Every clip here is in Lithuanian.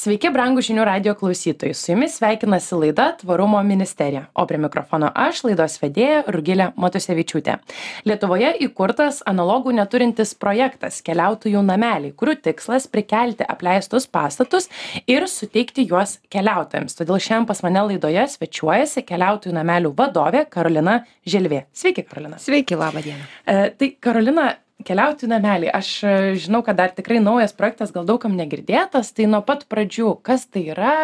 Sveiki, brangūs žinių radio klausytojai. Su jumis sveikinasi laida Tvarumo ministerija, o prie mikrofono aš, laidos vedėja Rugilė Matusevičiūtė. Lietuvoje įkurtas analogų neturintis projektas Keliautojų nameliai, kurių tikslas prikelti apleistus pastatus ir suteikti juos keliautojams. Todėl šiandien pas mane laidoje svečiuojasi Keliautojų namelių vadovė Karolina Želvė. Sveiki, Karolina. Sveiki, labą dieną. Tai Karolina, Keliautojų nameliai. Aš žinau, kad dar tikrai naujas projektas, gal daugam negirdėtas, tai nuo pat pradžių, kas tai yra,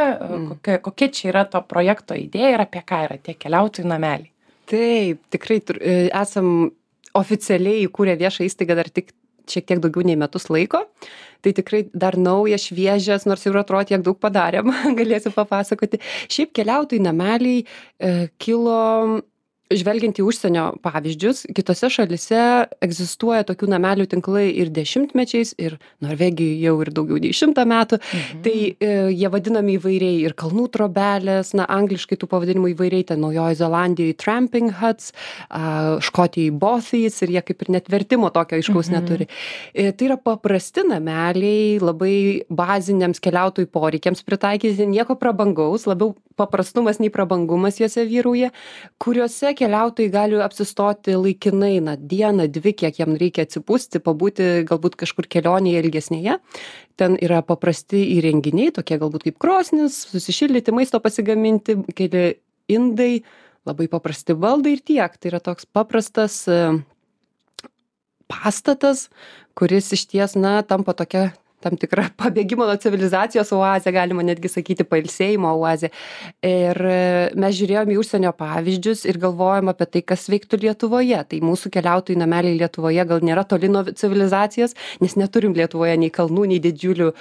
kokia čia yra to projekto idėja ir apie ką yra tie Keliautojų nameliai? Taip, tikrai esam oficialiai įkūrę viešą įstaigą dar tik šiek tiek daugiau nei metus laiko. Tai tikrai dar naujas, šviežias, nors jau atrodo tiek daug padarėm, galėsiu papasakoti. Šiaip Keliautojų nameliai kilo žvelgiant į užsienio pavyzdžius. Kitose šalyse egzistuoja tokių namelių tinklai ir dešimtmečiais, ir Norvegijoje jau ir daugiau nei 100 metų. Tai jie vadinami įvairiai ir kalnų trobelės, angliškai tų pavadinimų įvairiai, ten Naujojoje Zelandijoje tramping huts, Škotijoje bothies, ir jie kaip ir net vertimo tokio aiškaus neturi. Tai yra paprasti nameliai, labai baziniams keliautojų poreikiams pritaikyti, nieko prabangaus, labiau paprastumas nei prabangumas juose vyrauja, kuriuose keliautojai gali apsistoti laikinai, dieną, dvi, kiek jam reikia atsipūsti, pabūti galbūt kažkur kelionėje ilgesnėje. Ten yra paprasti įrenginiai, tokie galbūt kaip krosnis, susišildyti, maisto pasigaminti, keli indai, labai paprasti baldai ir tiek. Tai yra toks paprastas pastatas, kuris išties, tampa tokia tam tikra pabėgimo nuo civilizacijos oazė, galima netgi sakyti pailsėjimo oazė. Ir mes žiūrėjome į užsienio pavyzdžius ir galvojom apie tai, kas veiktų Lietuvoje. Tai mūsų Keliautojų nameliai Lietuvoje gal nėra toli nuo civilizacijos, nes neturim Lietuvoje nei kalnų, nei didžiulių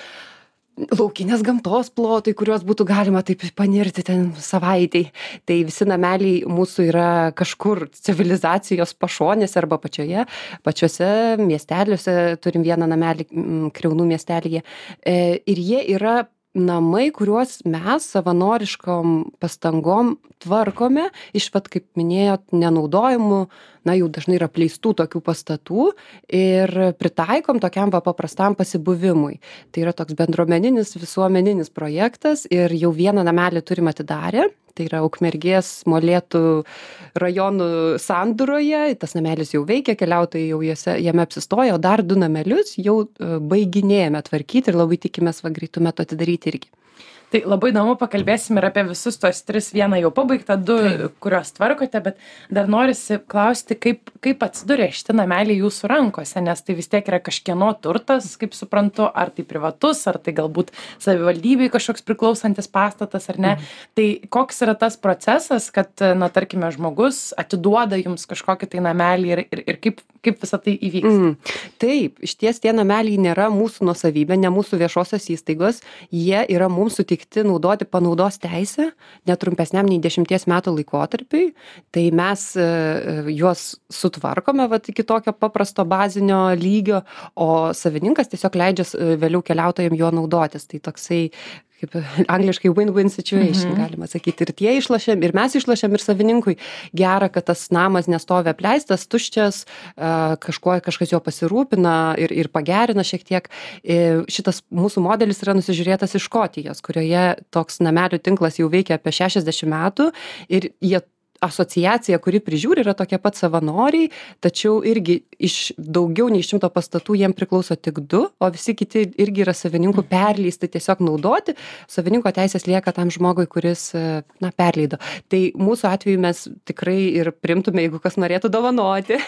laukinės gamtos plotai, kuriuos būtų galima taip panirti ten savaitei. Tai visi nameliai mūsų yra kažkur civilizacijos pašonėse arba pačiuose miesteliuose. Turim vieną namelį Kriaunų miestelyje. Ir jie yra namai, kuriuos mes savanoriškom pastangom tvarkome iš, kaip minėjot, nenaudojimų, jau dažnai yra apleistų tokių pastatų ir pritaikom tokiam paprastam pasibuvimui. Tai yra toks bendruomeninis, visuomeninis projektas ir jau vieną namelį turim atidarę. Tai yra Ukmergės Molėtų rajonų sandūroje. Tas namelis jau veikia, keliautojai jau jame apsistoja, o dar 2 namelius jau baiginėjame tvarkyti ir labai tikimės greitu metu atidaryti irgi. Tai labai įdomu, pakalbėsim ir apie visus tos 3, vieną jau pabaigtą, 2, kuriuos tvarkote, bet dar norisi klausti, kaip atsiduria šitie nameliai jūsų rankose, nes tai vis tiek yra kažkieno turtas, kaip suprantu, ar tai privatus, ar tai galbūt savivaldybei kažkoks priklausantis pastatas, ar ne. Tai koks yra tas procesas, kad, tarkime, žmogus atiduoda jums kažkokį tai namelį ir kaip visą tai įvyks? Taip, išties tie nameliai nėra mūsų nuosavybė, ne mūsų viešosios įstaigos, jie yra mums sutikti naudoti panaudos teisę netrumpesniam nei 10 metų laikotarpiui. Tai mes juos sutvarkome iki tokio paprasto bazinio lygio, o savininkas tiesiog leidžia vėliau keliautojams juo naudotis. Tai toksai kaip angliškai win-win situation, galima sakyti. Ir tie išlošiam, ir mes išlošiam, ir savininkui gera, kad tas namas nestovi apleistas, tuščias, kažkas jo pasirūpina ir pagerina šiek tiek. Šitas mūsų modelis yra nusižiūrėtas iš Škotijos, kurioje toks namelių tinklas jau veikia apie 60 metų ir jie asociacija, kuri prižiūri, yra tokie pat savanoriai, tačiau irgi iš daugiau nei 100 pastatų jiem priklauso tik 2, o visi kiti irgi yra savininkų perleisti tiesiog naudoti. Savininko teisės lieka tam žmogui, kuris perleido. Tai mūsų atveju mes tikrai ir primtume, jeigu kas norėtų dovanoti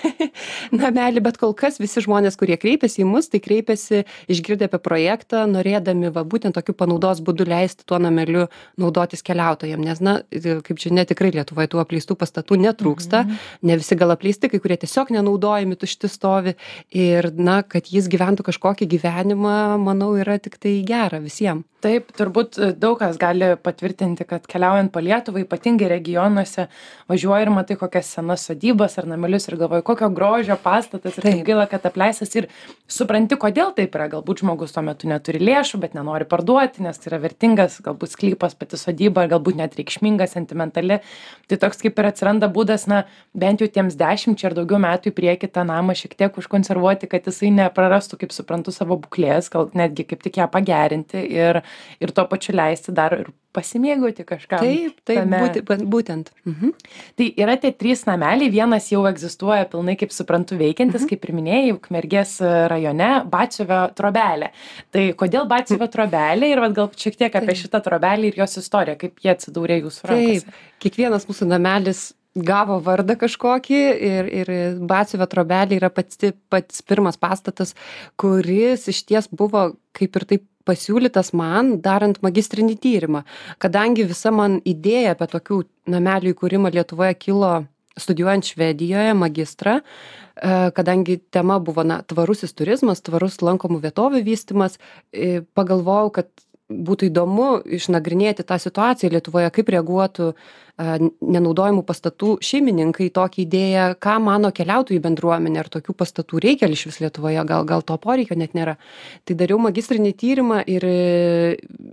namelį, bet kol kas visi žmonės, kurie kreipiasi į mus, tai kreipiasi išgirdę apie projektą, norėdami būtent tokiu panaudos būdu leisti tuo nameliu naudotis keliautojams. Nes, kaip žinia, tikrai Lietuvoje tų apleistų pastatų netrūksta, ne visi gal apleisti, kai kurie tiesiog nenaudojami, tušti stovi ir, kad jis gyventų kažkokį gyvenimą, manau, yra tik tai gera visiems. Taip, turbūt daug kas gali patvirtinti, kad keliaujant po Lietuvą, ypatingai regionuose, važiuoji ir matai kokias senas sodybas ar namelius ir galvoji, kokio grožio pastatas ir kaip gaila, kad apleistas ir supranti, kodėl taip yra. Galbūt žmogus tuo metu neturi lėšų, bet nenori parduoti, nes tai yra vertingas, galbūt sklypas, pati sodyba, galbūt net reikšminga, sentimentali. Tai toks kaip kaip ir atsiranda būdas, na, bent jau tiems 10 ar daugiau metų į priekį tą namą šiek tiek užkonservuoti, kad jisai neprarastų, kaip suprantu, savo būklės, gal netgi kaip tik ją pagerinti ir tuo pačiu leisti dar ir pasimėgauti kažką. Būtent. Tai yra tie 3 nameliai, vienas jau egzistuoja pilnai, kaip suprantu, veikiantis, kaip ir minėjai, Ukmergės rajone, Batsiuvio trobelė. Tai kodėl Batsiuvio trobelė ir gal šiek tiek apie šitą trobelį ir jos istoriją, kaip jie atsidūrė jūsų rankose? Taip, kiekvienas mūsų namelis gavo vardą kažkokį ir Batsiuvio trobelė yra pats pirmas pastatas, kuris išties buvo kaip ir taip pasiūlytas man darant magistrinį tyrimą, kadangi visa man idėja apie tokių namelių įkūrimą Lietuvoje kilo studijuojant Švedijoje magistrą, kadangi tema buvo tvarusis turizmas, tvarus lankomų vietovių vystymas, pagalvojau, kad būtų įdomu išnagrinėti tą situaciją Lietuvoje, kaip reaguotų nenaudojamų pastatų šeimininkai į tokią idėją, ką mano keliautojų bendruomenė, ar tokių pastatų reikia išvis Lietuvoje, gal to poreikio net nėra. Tai dariau magistrinį tyrimą ir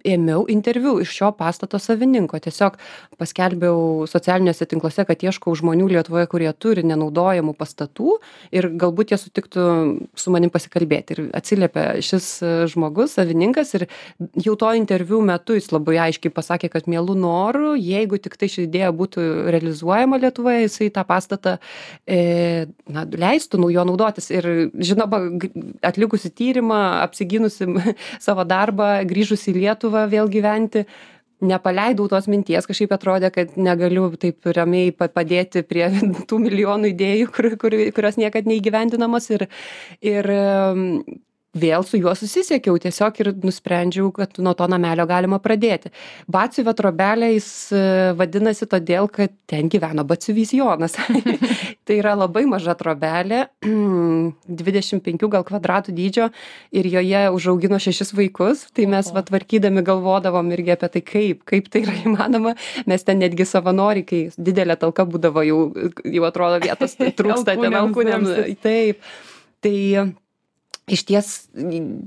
ėmiau interviu iš šio pastato savininko. Tiesiog paskelbiau socialiniuose tinkluose, kad ieškau žmonių Lietuvoje, kurie turi nenaudojamų pastatų ir galbūt jie sutiktų su manim pasikalbėti. Ir atsiliepė šis žmogus, savininkas, ir jau to interviu metu jis labai aiškiai pasakė, kad mielų norų, jeigu tik tai ši idėja būtų realizuojama Lietuvoje, jisai tą pastatą leistų jo naudotis. Ir žinoma, atlikusi tyrimą, apsigynusi savo darbą, grįžusi į Lietuvą vėl gyventi, nepaleidau tos minties, kažkaip atrodė, kad negaliu taip ramiai padėti prie tų milijonų idėjų, kurios niekad neįgyvendinamos ir vėl su juo susisiekiau tiesiog ir nusprendžiau, kad nuo to namelio galima pradėti. Batsiuvio trobelė jis vadinasi todėl, kad ten gyveno batsiuvys Jonas. Tai yra labai maža trobelė, 25 gal kvadratų dydžio ir joje užaugino 6 vaikus. Tai mes tvarkydami galvodavom irgi apie tai, kaip tai yra įmanoma. Mes ten netgi savanoriai, kai didelė talka būdavo, jau atrodo vietos trūksta ten alkūnėms. Taip. Tai išties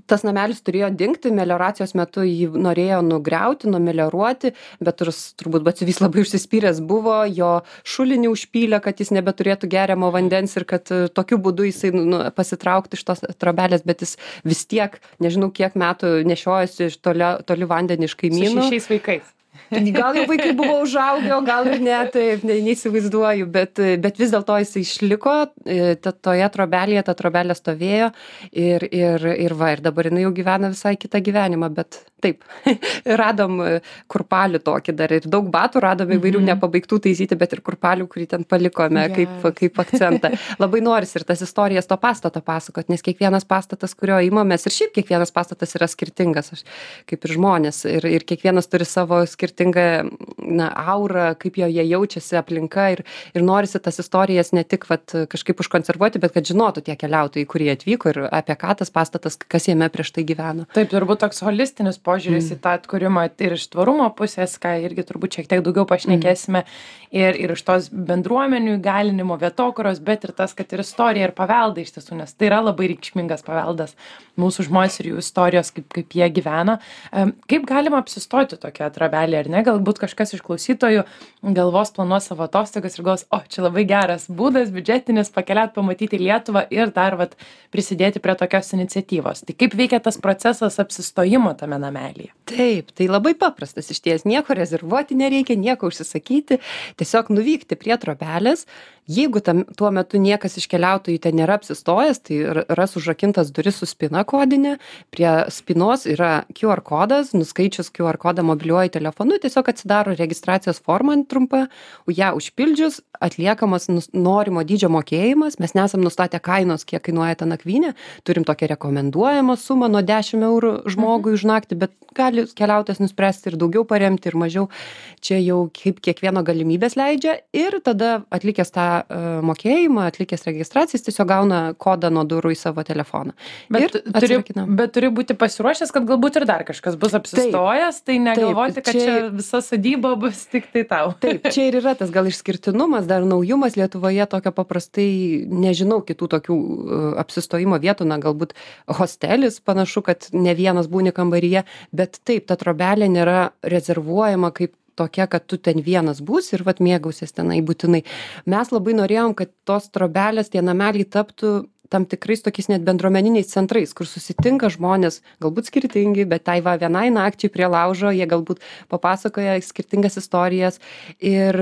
tas namelis turėjo dingti, melioracijos metu jį norėjo nugriauti, numelioruoti, bet turbūt batsiuvys labai užsispyręs buvo, jo šulinį užpylė, kad jis nebeturėtų geriamo vandens ir kad tokiu būdu jisai pasitraukti iš tos trobelės, bet jis vis tiek, nežinau kiek metų nešiojasi iš toli vandenį iš kaimynų. Su 6 vaikais. Gal jau vaikai buvo užaugę, gal ir ne, taip, neįsivaizduoju, bet vis dėlto jis išliko, toje trobelėje, ta trobelė stovėjo ir dabar jinai jau gyvena visai kitą gyvenimą, bet taip, radom kurpalių tokį dar ir daug batų radom įvairių nepabaigtų taisyti, bet ir kurpalių, kurį ten palikome kaip akcentą. Labai norisi ir tas istorijas to pastato pasakot, nes kiekvienas pastatas, kurio imamės, ir šiaip kiekvienas pastatas yra skirtingas, kaip ir žmonės, ir kiekvienas turi savo skirtingą aurą, kaip joje jaučiasi aplinka ir norisi tas istorijas ne tik kažkaip užkonservuoti, bet kad žinotų tie keliautojai, kurie atvyko ir apie ką tas pastatas, kas jame prieš tai gyveno. Taip, turbūt toks holistinis požiūris į tą atkūrimą ir iš tvarumo pusės, ką irgi turbūt šiek tiek daugiau pašnekėsime, ir iš tos bendruomenių įgalinimo vietokuros, bet ir tas, kad ir istorija ir pavelda iš tiesų, nes tai yra labai reikšmingas paveldas mūsų žmonės ir jų istorijos, kaip jie gyvena. Kaip galima apsistoti tokią trobelę, ar ne? Galbūt kažkas iš klausytojų galvos planuos savo atostogas ir galvos, čia labai geras būdas, biudžetinis, pakeliauti, pamatyti Lietuvą ir dar prisidėti prie tokios iniciatyvos. Tai kaip veikia tas procesas apsistojimo tame namelyje? Taip, tai labai paprastas išties, nieko rezervuoti nereikia, nieko užsisakyti, tiesiog nuvykti prie trobelės. Jeigu tuo metu niekas iš keliautojų ten nėra apsistojęs, tai ras užrakintas duris su spina kodinė, prie spinos yra QR kodas, nuskaičius QR kodą mobiliuoju telefonu, tiesiog atsidaro registracijos forma trumpa, ją užpildžius, atliekamas norimo dydžio mokėjimas, mes nesam nustatę kainos, kiek kainuoja ta nakvynė, turim tokią rekomenduojamą sumą nuo 10 eurų žmogui už naktį, bet gali keliautojas nuspręsti ir daugiau paremti ir mažiau, čia jau kaip kiekvieno galimybės leidžia ir tada atlikęs tą mokėjimą, atlikęs registracijas, tiesiog gauna kodą nuo durų į savo telefoną. Bet turi būti pasiruošęs, kad galbūt ir dar kažkas bus apsistojęs, tai negalvoti, kad čia visa sodyba bus tik tai tau. Taip, čia ir yra tas gal išskirtinumas, dar naujumas Lietuvoje, tokio paprastai nežinau kitų tokių apsistojimo vietų, galbūt hostelis, panašu, kad ne vienas būni kambaryje, bet taip, ta trobelė nėra rezervuojama kaip tokia, kad tu ten vienas būsi ir vat mėgausies tenai būtinai. Mes labai norėjom, kad tos trobelės, tie nameliai taptų tam tikrais tokiais net bendruomeniniais centrais, kur susitinka žmonės, galbūt skirtingi, bet tai va vienai nakčiai prie laužo, jie galbūt papasakoja skirtingas istorijas ir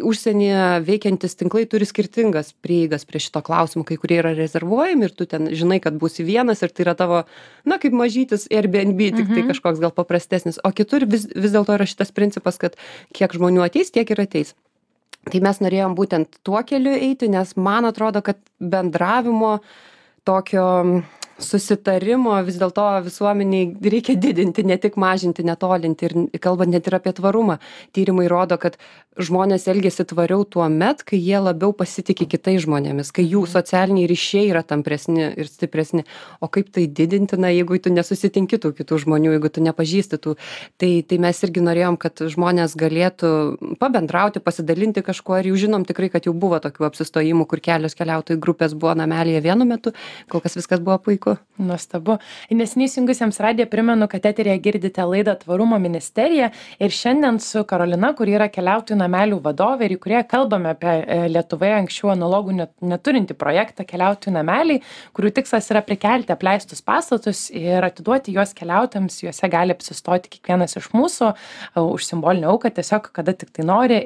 užsienyje veikiantis tinklai turi skirtingas prieigas prie šito klausimo, kai kurie yra rezervuojami ir tu ten žinai, kad būsi vienas ir tai yra tavo, na, kaip mažytis Airbnb, tik tai kažkoks gal paprastesnis, o kitur vis dėlto yra šitas principas, kad kiek žmonių ateis, tiek ir ateis. Tai mes norėjom būtent tuo keliu eiti, nes man atrodo, kad bendravimo tokio susitarimo vis dėlto visuomeniai reikia didinti, ne tik mažinti, netolinti ir kalbant net ir apie tvarumą. Tyrimai rodo, kad žmonės elgiasi tvariau tuo met, kai jie labiau pasitikė kitais žmonėmis, kai jų socialiniai ryšiai yra tampresni ir stipresni. O kaip tai didinti, na, jeigu tu nesusitinki tų kitų žmonių, jeigu tu nepažįsti tų, tai mes irgi norėjom, kad žmonės galėtų pabendrauti, pasidalinti kažkuo ir jau žinom tikrai, kad jau buvo tokių apsistojimų, kur kelios keliautojų grupės buvo namelyje vienu metu, kol kas viskas buvo puiku. Nuostabu. Neseniai įsijungusiems radiją primenu, kad eteryje girdite laidą Tvarumo ministerija ir šiandien su Karolina, kuri yra keliautojų namelių vadovė ir į kurie kalbame apie Lietuvoje anksčiau analogų neturinti projektą keliautojų nameliai, kurių tikslas yra prikelti apleistus pastatus ir atiduoti juos keliautojams, juose gali apsistoti kiekvienas iš mūsų už simbolinę auką, tiesiog kada tik tai nori.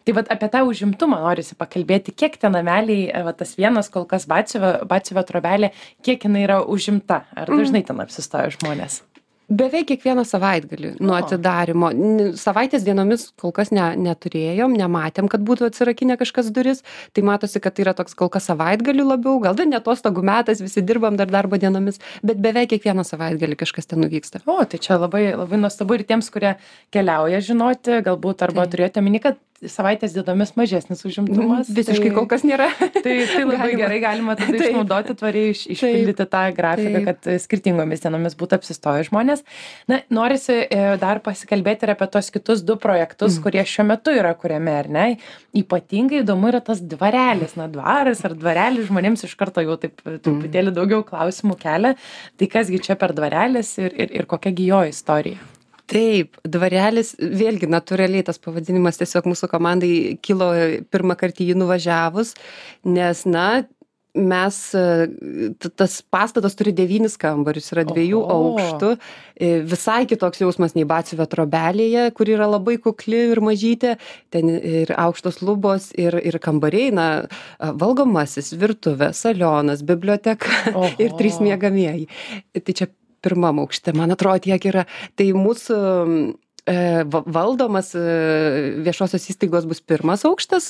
Tai vat apie tą užimtumą norisi pakalbėti, kiek tie nameliai, tas vienas kol kas Batsiuvio trobelė, kiek jinai yra užimta, ar dažnai ten apsistoja žmonės? Beveik kiekvieną savaitgalį nuo atidarymo. Savaitės dienomis kol kas neturėjom, nematėm, kad būtų atsirakinę kažkas duris. Tai matosi, kad tai yra toks kol kas savaitgalių labiau, gal dar ne atostogų metas, visi dirbam dar darbo dienomis, bet beveik kiekvieną savaitgalį kažkas ten nuvyksta. O, tai čia labai, labai nuostabu ir tiems, kurie keliauja žinoti, galbūt arba turėjote omeny, kad savaitės dienomis mažesnis užimtumas. Visiškai kol kas nėra. Tai labai gerai galima tada išnaudoti tvariai, išpildyti tą grafiką, kad skirtingomis dienomis būtų apsistoję žmonės. Na, norisi dar pasikalbėti ir apie tos kitus du projektus, kurie šiuo metu yra kuriami, ar ne? Ypatingai įdomu yra tas dvarelis, na, dvaras ar dvarelis žmonėms iš karto jau taip truputėlį daugiau klausimų kelia. Tai kasgi čia per dvarelis ir kokiagi jo istorija? Taip, dvarelis, vėlgi natūraliai tas pavadinimas tiesiog mūsų komandai kilo pirmą kartą jį nuvažiavus, nes, na, mes, tas pastatas turi 9 kambarius, yra 2 aukštų, visai kitoks jausmas nei Batsiuvio trobelėje, kur yra labai kukli ir mažytė, ten ir aukštos lubos, ir kambariai, na, valgomasis, virtuvė, salionas, biblioteka ir 3 miegamieji. Tai čia pirmam aukšte, man atrodo, tiek yra. Tai mūsų valdomas viešosios įstaigos bus pirmas aukštas,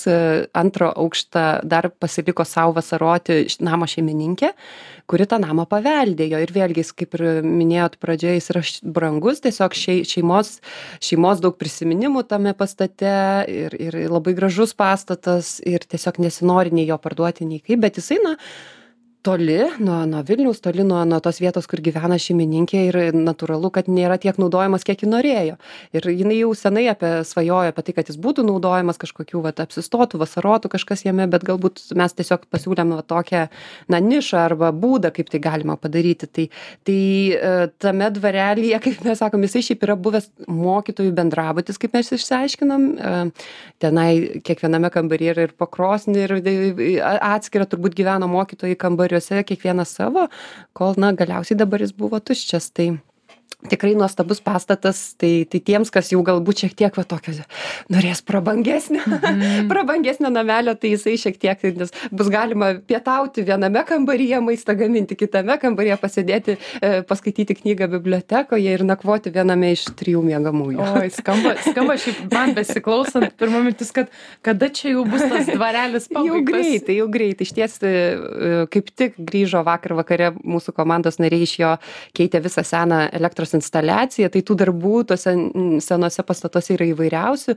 antro aukštą dar pasiliko savo vasaroti namo šeimininkė, kuri tą namą paveldėjo. Ir vėlgi, kaip ir minėjot pradžioje, jis yra brangus, tiesiog šeimos daug prisiminimų tame pastate ir labai gražus pastatas ir tiesiog nesinori nei jo parduoti, nei kaip, bet jisai, na, toli nuo Vilniaus, toli nuo tos vietos, kur gyvena šeimininkė ir natūralu, kad nėra tiek naudojamas, kiek ji norėjo. Ir jinai jau senai svajojo apie tai, kad jis būtų naudojamas kažkokių apsistotų, vasarotų kažkas jame, bet galbūt mes tiesiog pasiūlėm tokią, na, nišą arba būdą, kaip tai galima padaryti. Tai tame dvarelyje, kaip mes sakom, jisai šiaip yra buvęs mokytojų bendrabutis, kaip mes išsiaiškinom. Tenai kiekviename kambaryje yra ir pakrosnė, ir atskira turbūt gyveno mokytojai kambariuose, kiekvienas savo, kol, na, galiausiai dabar jis buvo tuščias. Tai tikrai nuostabus pastatas, tai tiems, kas jau galbūt šiek tiek tokio norės prabangesnio namelio, tai jisai šiek tiek, nes bus galima pietauti viename kambaryje, maistą gaminti kitame kambaryje, pasėdėti, paskaityti knygą bibliotekoje ir nakvoti viename iš 3 miegamųjų. Oi, skamba šiaip man besiklausant, pirma mintis, kad kada čia jau bus tas dvarelis pabaigtas? Jau greitai. Iš ties, kaip tik grįžo vakar vakare mūsų komandos nariai iš jo, keitė visą seną elektros instaliaciją, tai tų darbų tuose senuose pastatuose yra įvairiausių.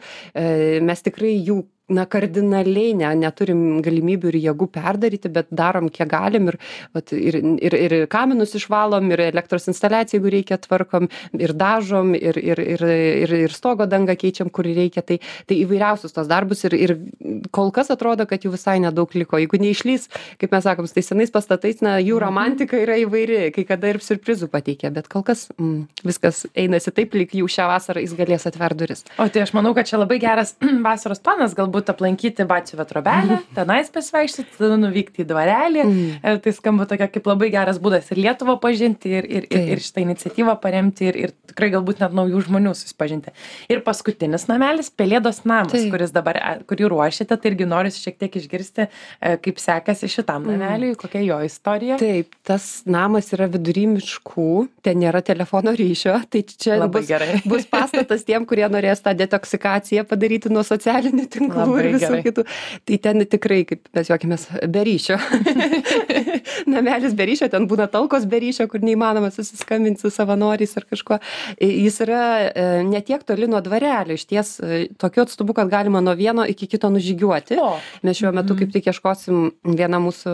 Mes tikrai jų na, kardinaliai neturim galimybių ir jėgų perdaryti, bet darom kiek galim ir kaminus išvalom, ir elektros instaliaciją, jeigu reikia, tvarkom, ir dažom, ir stogo dangą keičiam, kur reikia. Tai įvairiausius tos darbus ir kol kas atrodo, kad jų visai nedaug liko. Jeigu neišlys, kaip mes sakom, tai senais pastatais, na, jų romantika yra įvairi, kai kada ir siurprizų pateikia, bet kol kas viskas einasi taip, lyg jau šią vasarą jis galės atver duris. O tai aš manau, kad čia labai geras vasaros planas, galbūt aplankyti Batsiuvio trobelę, tenais pasivaikščioti, tada nuvykti į dvarelį. Tai skamba tokia kaip labai geras būdas ir Lietuvą pažinti, ir šitą iniciatyvą paremti, ir tikrai galbūt net naujų žmonių susipažinti. Ir paskutinis namelis, Pelėdos namas, kuris dabar, kurį ruošiate, tai irgi noriu šiek tiek išgirsti, kaip sekasi šitam nameliui, kokia jo istorija. Taip, tas namas yra vidury miškų, ten nėra telefono ryšio, tai čia bus pastatas tiem, kurie norės tą detoksikaciją padaryti nuo socialinių tinklų ir visų kitų. Tai ten tikrai, kaip mes juokimės, be ryšio. Namelis be ryšio, ten būna talkos be ryšio, kur neįmanoma susiskambinti su savanoriais ar kažkuo. Jis yra ne tiek toli nuo dvarelio, iš ties tokiu atstumu, kad galima nuo vieno iki kito nužygiuoti. Mes šiuo metu kaip tik ieškosim, viena mūsų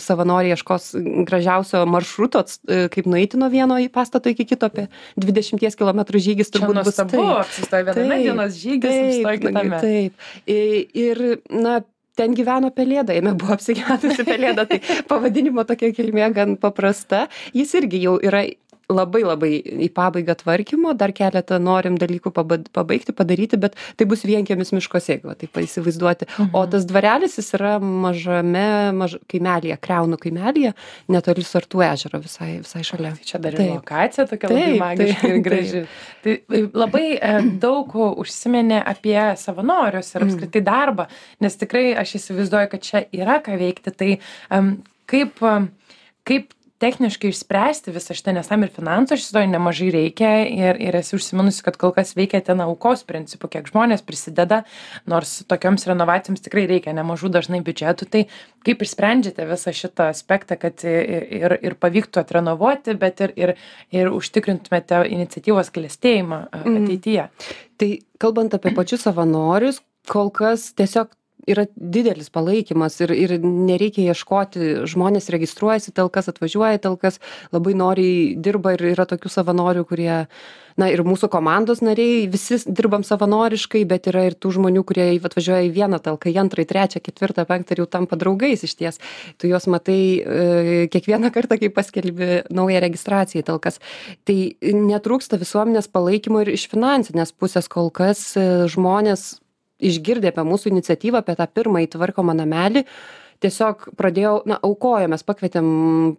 savanoriai ieškos gražiausio maršruto, kaip nueiti nuo vieno pastato iki kito, apie 20 km žygis turbūt bus. Čia nuostabu, apsistoja viename dienos žygis, apsistoja kitame. Taip. Ir, na, ten gyveno pelėda, jame buvo apsigyvenusi pelėda, tai pavadinimo tokia kilmė gan paprasta. Jis irgi jau yra labai į pabaigą tvarkymo, dar keletą norim dalykų pabaigti, padaryti, bet tai bus vienkiemis miškose, jeigu taip įsivaizduoti. O tas dvarelis jis yra mažame kaimelyje, Kriaunų kaimelyje, netoli Sartų ežero, visai šalia. Tai čia dar ir lokacija tokia labai magiška ir graži. Tai labai daug užsiminė apie savanorius ir apskritai darbą, nes tikrai aš įsivaizduoju, kad čia yra ką veikti. Tai kaip techniškai išspręsti visą šitą, nes tam ir finansų šitoj nemažai reikia ir esi užsiminusi, kad kol kas veikia ten aukos principu, kiek žmonės prisideda, nors tokioms renovacijoms tikrai reikia nemažų dažnai biudžetų. Tai kaip išsprendžiate visą šitą aspektą, kad ir pavyktų atrenovuoti, bet ir užtikrintumėte iniciatyvos klestėjimą ateityje? Tai kalbant apie pačius savanorius, kol kas tiesiog yra didelis palaikymas ir nereikia ieškoti, žmonės registruojasi, talkas atvažiuoja, talkas labai noriai dirba ir yra tokių savanorių, kurie, na, ir mūsų komandos nariai, visi dirbam savanoriškai, bet yra ir tų žmonių, kurie atvažiuoja į vieną talką, į antrą, į trečią, ketvirtą, penktą ir jau tampa draugais iš ties. Tu juos matai kiekvieną kartą, kai paskelbi naują registraciją į talkas. Tai netrūksta visuomenės palaikymo ir iš finansinės pusės kol kas žmonės išgirdę apie mūsų iniciatyvą, apie tą pirmąjį tvarkomą namelį, tiesiog pradėjau, na, aukojomės, pakvietėm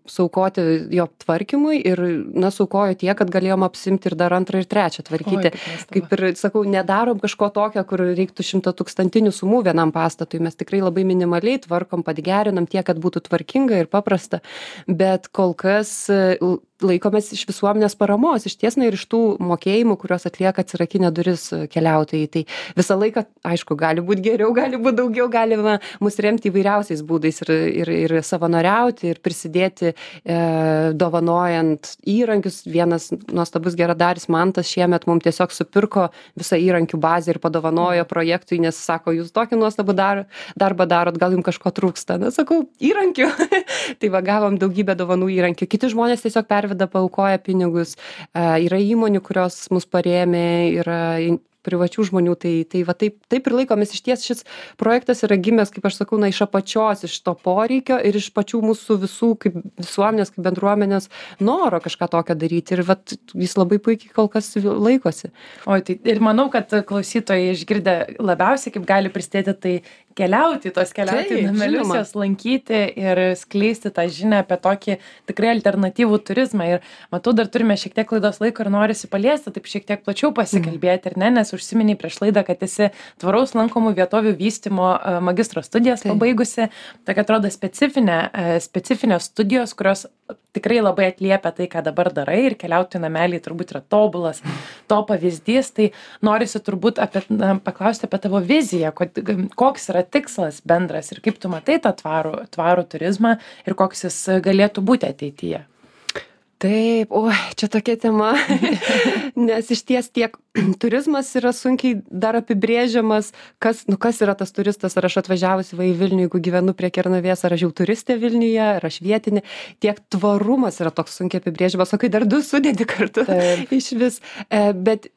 suaukoti jo tvarkymui ir, na, suaukojo tiek, kad galėjom apsimti ir dar antrą ir trečią tvarkyti. Kaip ir sakau, nedarom kažko tokio, kur reiktų 100-tūkstantinių sumų vienam pastatui. Mes tikrai labai minimaliai tvarkom, padgerinam tiek, kad būtų tvarkinga ir paprasta, bet kol kas laikomės iš visuomenės paramos, iš ties, na, ir iš tų mokėjimų, kuriuos atlieka atsirakinę duris keliautojai. Tai visą laiką, aišku, gali būti geriau, gali būti daugiau, galima mus remti įvairiausiais būdais ir savanoriauti, ir prisidėti dovanojant įrankius. Vienas nuostabus geradaris Mantas šiemet mums tiesiog supirko visą įrankių bazę ir padovanojo projektui, nes sako, jūs tokį nuostabų darbą darot, gal jums kažko trūksta. Na, sakau, įrankių. Tai va, gavom daugybę dovanų įrankių. Kiti žmonės tiesiog paaukoja pinigus, yra įmonių, kurios mus parėmė, yra privačių žmonių, tai va taip ir laikomės. Iš ties šis projektas yra gimęs, kaip aš sakau, na, iš apačios, iš to poreikio ir iš pačių mūsų visų kaip visuomenės, kaip bendruomenės noro kažką tokio daryti ir vat jis labai puikiai kol kas laikosi. O tai ir manau, kad klausytojai išgirdę labiausiai kaip gali prisidėti, tai keliauti namelius, juos lankyti ir skleisti tą žinią apie tokį tikrai alternatyvų turizmą. Ir matau, dar turime šiek tiek laidos laiko ir norisi paliesti, taip šiek tiek plačiau pasikalbėti, ar ne, nes užsiminiai prieš laidą, kad esi tvaraus lankomų vietovių vystymo magistro studijas pabaigusi. Tokia atrodo specifinės studijos, kurios tikrai labai atliepia tai, ką dabar darai, ir keliautojų nameliai turbūt yra tobulas to pavyzdys. Tai norisi turbūt paklausti apie tavo viziją, koks yra tikslas bendras ir kaip tu matai tą tvarų turizmą ir koks jis galėtų būti ateityje. Taip, oi, čia tokia tema, nes iš ties tiek turizmas yra sunkiai dar apibrėžiamas, kas yra tas turistas, ar aš atvažiavusi į Vilnių, jeigu gyvenu prie Kernavės, ar aš jau turistė Vilniuje, ar aš vietinė, tiek tvarumas yra toks sunkiai apibrėžiamas, o kai dar du sudėti kartu iš vis, bet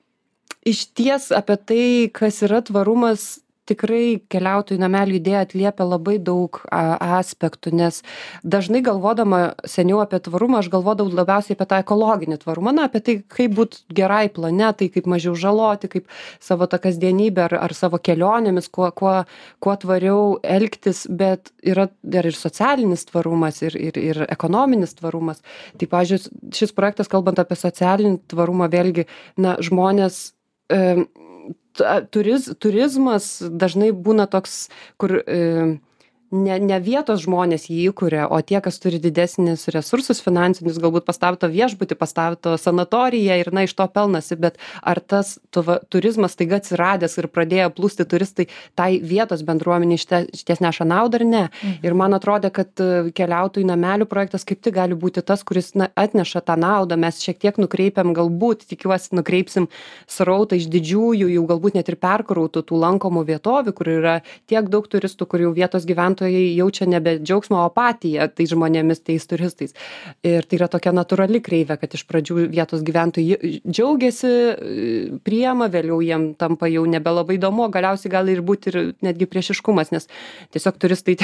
iš ties apie tai, kas yra tvarumas, tikrai keliautojų namelių idėja atliepia labai daug aspektų, nes dažnai galvodama seniau apie tvarumą, aš galvodavau labiausiai apie tą ekologinį tvarumą, apie tai, kaip būti gerai planetai, kaip mažiau žaloti, kaip savo tą kasdienybę ar savo kelionėmis, kuo tvariau elgtis, bet yra dar ir socialinis tvarumas, ir ekonominis tvarumas. Tai, pavyzdžiui, šis projektas, kalbant apie socialinį tvarumą, vėlgi, žmonės turizmas dažnai būna toks, kur ne vietos žmonės jį įkuria, o tie, kas turi didesnis resursus finansinius, galbūt pastato viešbutį, pastato sanatoriją ir iš to pelnasi, bet ar tas turizmas taiga atsiradęs ir pradėjo plūsti turistai, tai vietos bendruomenė išties neša naudą ar ne? Ir man atrodė, kad keliautojų namelių projektas kaip tik gali būti tas, kuris atneša tą naudą, mes šiek tiek nukreipiam, galbūt, tikiuosi, nukreipsim srautą iš didžiųjų, jau galbūt net ir perkrautų tų lankomų vietovių, kur yra tiek daug turistų, kur jau vietos gyventojai jaučia nebe džiaugsmo, o apatiją tai žmonėmis, tais turistais. Ir tai yra tokia natūrali kreivė, kad iš pradžių vietos gyventojai džiaugiasi, priema, vėliau jiem tampa jau nebelabai įdomu, galiausiai gali ir būti ir netgi priešiškumas, nes tiesiog turistai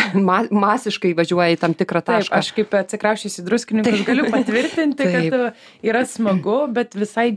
masiškai važiuoja į tam tikrą tašką. Taip, aš kaip atsikrausčiusi druskininkus galiu patvirtinti, kad yra smagu, bet visai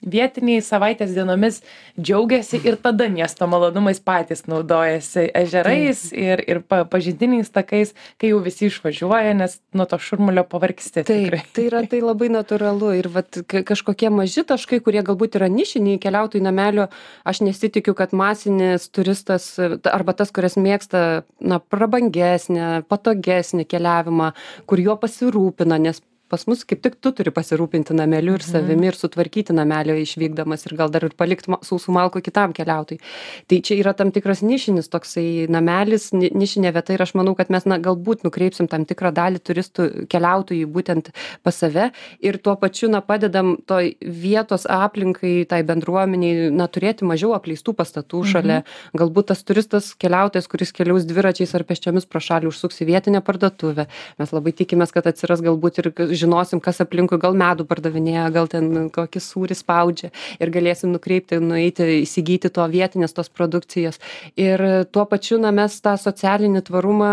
vietiniai savaitės dienomis džiaugiasi ir tada miesto malonumais patys naudojasi ežerais ir pažintiniais takais, kai jau visi išvažiuoja, nes nuo to šurmulio pavargsti. Taip, tai labai natūralu ir kažkokie maži taškai, kurie galbūt yra nišiniai keliautojų namelio, aš nesitikiu, kad masinis turistas arba tas, kuris mėgsta prabangesnę, patogesnį keliavimą, kur juo pasirūpina, nes pas mus kaip tik tu turi pasirūpinti nameliu ir savimi ir sutvarkyti namelio išvykdamas ir gal dar ir palikti sausų malkų kitam keliautojui. Tai čia yra tam tikras nišinis toksai namelis, nišinė vieta ir aš manau, kad mes galbūt nukreipsim tam tikrą dalį turistų keliautojų būtent pas save ir tuo pačiu padedam toj vietos aplinkai, tai bendruomeniai, turėti mažiau apleistų pastatų šalia. Galbūt tas turistas keliautojas, kuris keliaus dviračiais ar pėsčiomis pro šalį, užsuks į vietinę parduotuvę. Mes labai tikimės, kad atsiras galbūt ir žinosim, kas aplinkui gal medų pardavinėja, gal ten kokį sūrį spaudžia ir galėsim nukreipti, nueiti, įsigyti to vietinės tos produkcijos. Ir tuo pačiu mes tą socialinį tvarumą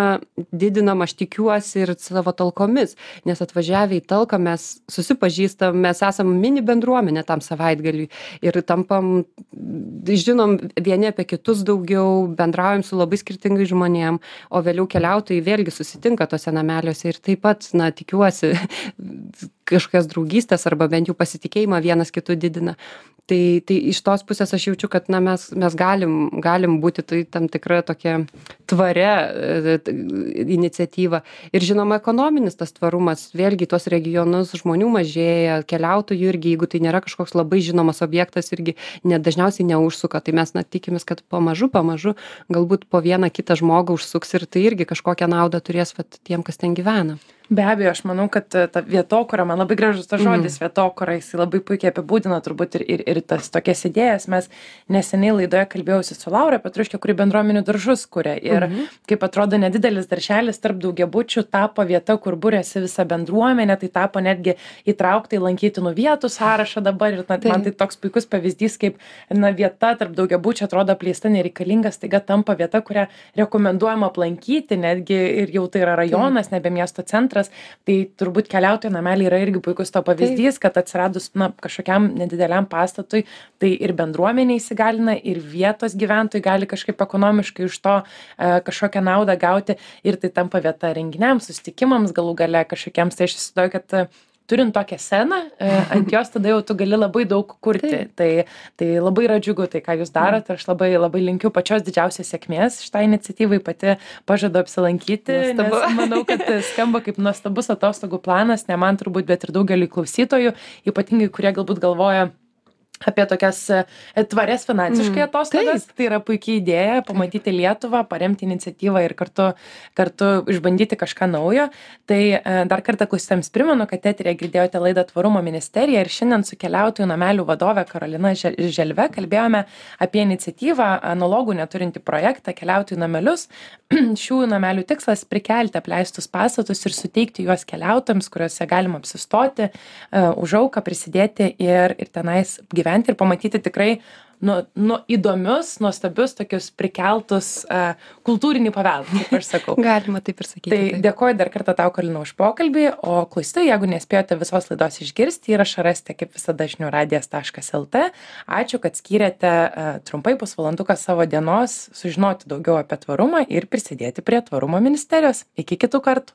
didinam, aš tikiuosi, ir savo talkomis, nes atvažiavę į talką mes susipažįstam, mes esam mini bendruomenė tam savaitgaliui ir tampam, žinom vieni apie kitus daugiau, bendraujam su labai skirtingai žmonėm, o vėliau keliautojai vėlgi susitinka tose nameliuose ir taip pat, tikiuosi, kažkokias draugystės arba bent jau pasitikėjimą vienas kitu didina. Tai iš tos pusės aš jaučiu, kad mes galim būti tai tam tikra tokia tvaria iniciatyva. Ir žinoma, ekonominis tas tvarumas, vėlgi tuos regionus žmonių mažėja, keliautojų irgi, jeigu tai nėra kažkoks labai žinomas objektas, irgi dažniausiai neužsuka. Tai mes tikimės, kad pamažu, galbūt po vieną kitą žmogų užsuks ir tai irgi kažkokią naudą turės tiem, kas ten gyvena. Be abejo, aš manau, kad ta vietokura, man labai gražus tas žodis vietokura, jis labai puikiai apibūdina turbūt ir tas tokias idėjas. Mes neseniai laidoje kalbėjausi su Laura Petruške, kuri bendruomenių daržus kuria. Ir kaip atrodo, nedidelis darželis tarp daugiabučių tapo vieta, kur būrėsi visa bendruomenė, tai tapo netgi įtraukta į lankytinų vietų sąrašą dabar. Ir man tai toks puikus pavyzdys, kaip vieta tarp daugiabučių atrodo apleista, nereikalinga, staiga tampa vieta, kurią rekomenduojama aplankyti, netgi ir jau tai yra rajonas, nebe miesto centras. Tai turbūt keliautojų nameliai yra irgi puikus to pavyzdys, kad atsiradus kažkokiam nedideliam pastatui, tai ir bendruomenė įsigalina, ir vietos gyventojai gali kažkaip ekonomiškai iš to kažkokią naudą gauti ir tai tampa vieta renginiams, susitikimams, galų gale kažkokiems. Tai aš įsivaizduoju, kad turint tokią sceną, ant jos tada jau tu gali labai daug kurti. Tai labai yra džiugu tai, ką jūs darot. Aš labai linkiu pačios didžiausios sėkmės šitai iniciatyvai, pati pažadu apsilankyti, nes manau, kad skamba kaip nuostabus atostogų planas, ne man turbūt, bet ir daugeliui klausytojų, ypatingai, kurie galbūt galvoja apie tokias tvarias finansiškai atostogas. Tai yra puikiai idėja pamatyti Lietuvą, paremti iniciatyvą ir kartu išbandyti kažką naujo. Tai dar kartą klausytojams primenu, kad eteryje girdėjote laidą Tvarumo ministerija ir šiandien su keliautojų namelių vadove Karolina Želve kalbėjome apie iniciatyvą analogų neturinti projektą Keliautojų namelius. Šių namelių tikslas prikelti apleistus pastatus ir suteikti juos keliautojams, kuriuose galima apsistoti, už auką prisidėti ir tenais gyventi ir pamatyti tikrai įdomius, nuostabius, tokius prikeltus kultūrinį paveldą, kaip aš sakau. Galima taip ir sakyti. Tai dėkoju dar kartą tau, Karolina, už pokalbį, o klausytojai, jeigu nespėjote visos laidos išgirsti, įrašą rasite kaip visada žiniųradijas.lt. Ačiū, kad skyrėte trumpai pusvalanduką savo dienos sužinoti daugiau apie tvarumą ir prisidėti prie Tvarumo ministerijos. Iki kitų kartų.